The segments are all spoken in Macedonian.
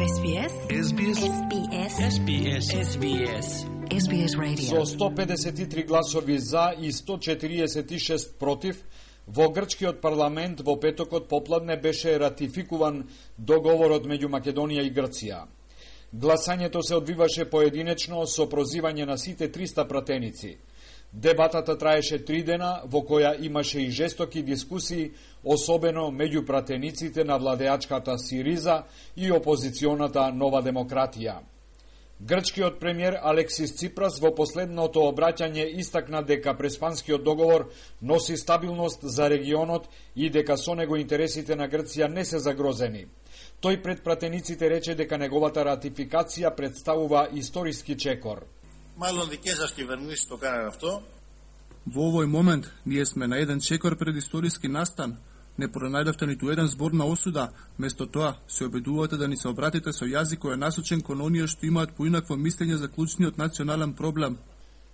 SBS Radio. Со 153 гласови за и 146 против, во грчкиот парламент во петокот попладне беше ратификуван договорот меѓу Македонија и Грција. Гласањето се одвиваше поединечно со прозивање на сите 300 пратеници. Дебатата траеше 3 дена, во која имаше и жестоки дискусии, особено меѓу пратениците на владеачката Сириза и опозиционата Нова демократија. Грчкиот премиер Алексис Ципрас во последното обраќање истакна дека Преспанскиот договор носи стабилност за регионот и дека со него интересите на Грција не се загрозени. Тој пред пратениците рече дека неговата ратификација представува историски чекор. Мало дике за κυβερνήσεις το κάνανε αυτό. Во овој момент ние сме на еден чекор пред историски настан. Не пронајдовте ниту еден збор на осуда, место тоа се обидувате да ни се обратите со јазик кој е насочен кон оние што имаат поинакво мислење за клучниот национален проблем.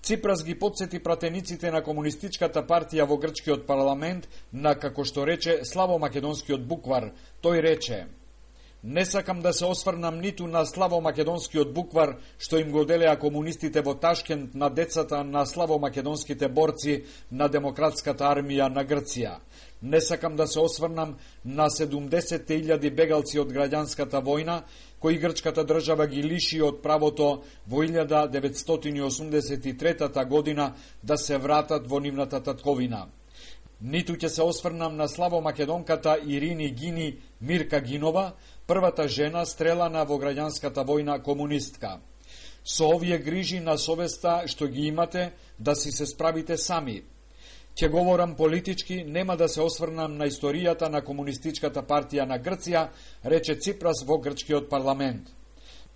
Ципрас ги потсети пратениците на Комунистичката партија во грчкиот парламент на, како што рече, славомакедонскиот буквар. Тој рече: "Не сакам да се осврнам ниту на славомакедонскиот буквар што им го делеа комунистите во Ташкент на децата на славомакедонските борци на Демократската армија на Грција. Не сакам да се осврнам на 70.000 бегалци од граѓанската војна, кои грчката држава ги лиши од правото во 1983 година да се вратат во нивната татковина. Ниту ќе се осврнам на славомакедонката Ирини Гини Мирка Гинова, првата жена стрелана во граѓанската војна комунистка. Со овие грижи на совеста што ги имате, да си се справите сами. Ќе говорам политички, нема да се осврнам на историјата на Комунистичката партија на Грција, рече Ципрас во грчкиот парламент.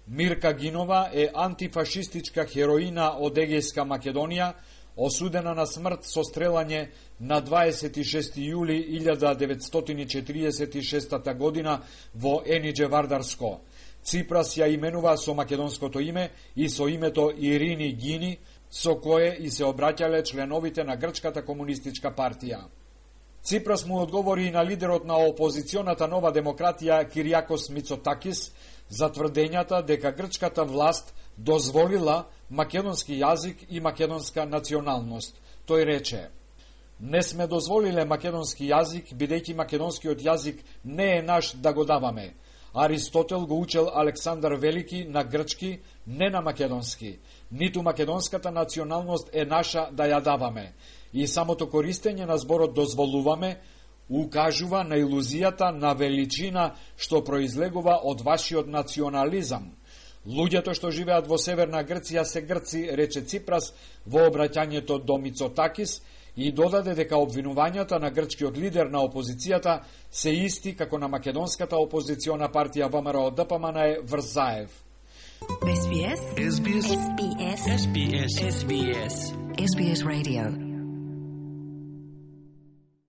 Мирка Гинова е антифашистичка хероина од Егејска Македонија, осудена на смрт со стрелање на 26. јули 1946 година во Енидже Вардарско. Ципрас ја именува со македонското име и со името Ирини Гини, со кое и се обраќале членовите на Грчката комунистичка партија. Ципрас му одговори и на лидерот на опозиционата Нова демократија Киријакос Мицотакис за тврдењата дека грчката власт дозволила македонски јазик и македонска националност. Тој рече: "Не сме дозволиле македонски јазик, бидејќи македонскиот јазик не е наш да го даваме. Аристотел го учел Александар Велики на грчки, не на македонски. Ниту македонската националност е наша да ја даваме. И самото користење на зборот дозволуваме укажува на илузијата на величина што произлегува од вашиот национализам. Луѓето што живеат во Северна Грција се грци", рече Ципрас во обраќањето до Мицотакис и додаде дека обвинувањата на грчкиот лидер на опозицијата се исти како на македонската опозициона партија ВМРО ДПМН Врзаев. SBS Radio.